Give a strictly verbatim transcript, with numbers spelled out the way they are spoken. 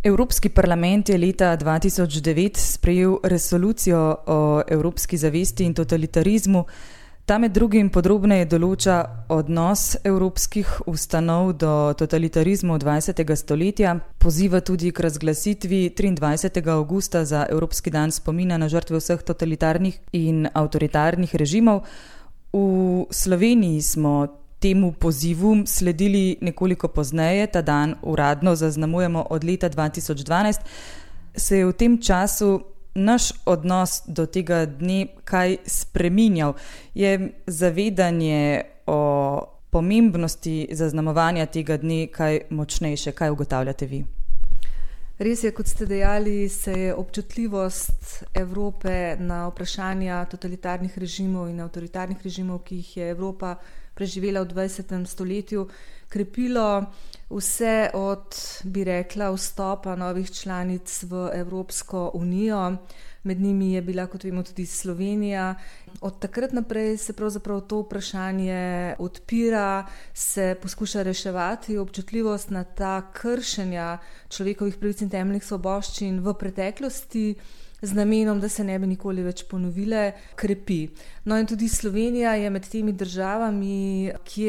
Evropski parlament je leta dva tisoč devet sprejel resolucijo o evropski zavesti in totalitarizmu. Ta med drugim podrobneje določa odnos evropskih ustanov do totalitarizmu dvajsetega stoletja, poziva tudi k razglasitvi triindvajsetega avgusta za Evropski dan spomina na žrtve vseh totalitarnih in avtoritarnih režimov. V Sloveniji smo temu pozivu sledili nekoliko pozneje, ta dan uradno zaznamujemo od leta dva tisoč dvanajst. Se je v tem času naš odnos do tega dne kaj spreminjal? Je zavedanje o pomembnosti zaznamovanja tega dne kaj močnejše? Kaj ugotavljate vi? Res je, kot ste dejali, se je občutljivost Evrope na vprašanja totalitarnih režimov in avtoritarnih režimov, ki jih je Evropa preživela v dvajsetem stoletju, krepilo vse od, bi rekla, vstopa novih članic v Evropsko unijo. Med njimi je bila, kot vemo, tudi Slovenija. Od takrat naprej se pravzaprav to vprašanje odpira, se poskuša reševati. Občutljivost na ta kršenja človekovih pravic in temeljnih svoboščin v preteklosti z namenom, da se ne bi nikoli več ponovile, krepi. No in tudi Slovenija je med temi državami, kjer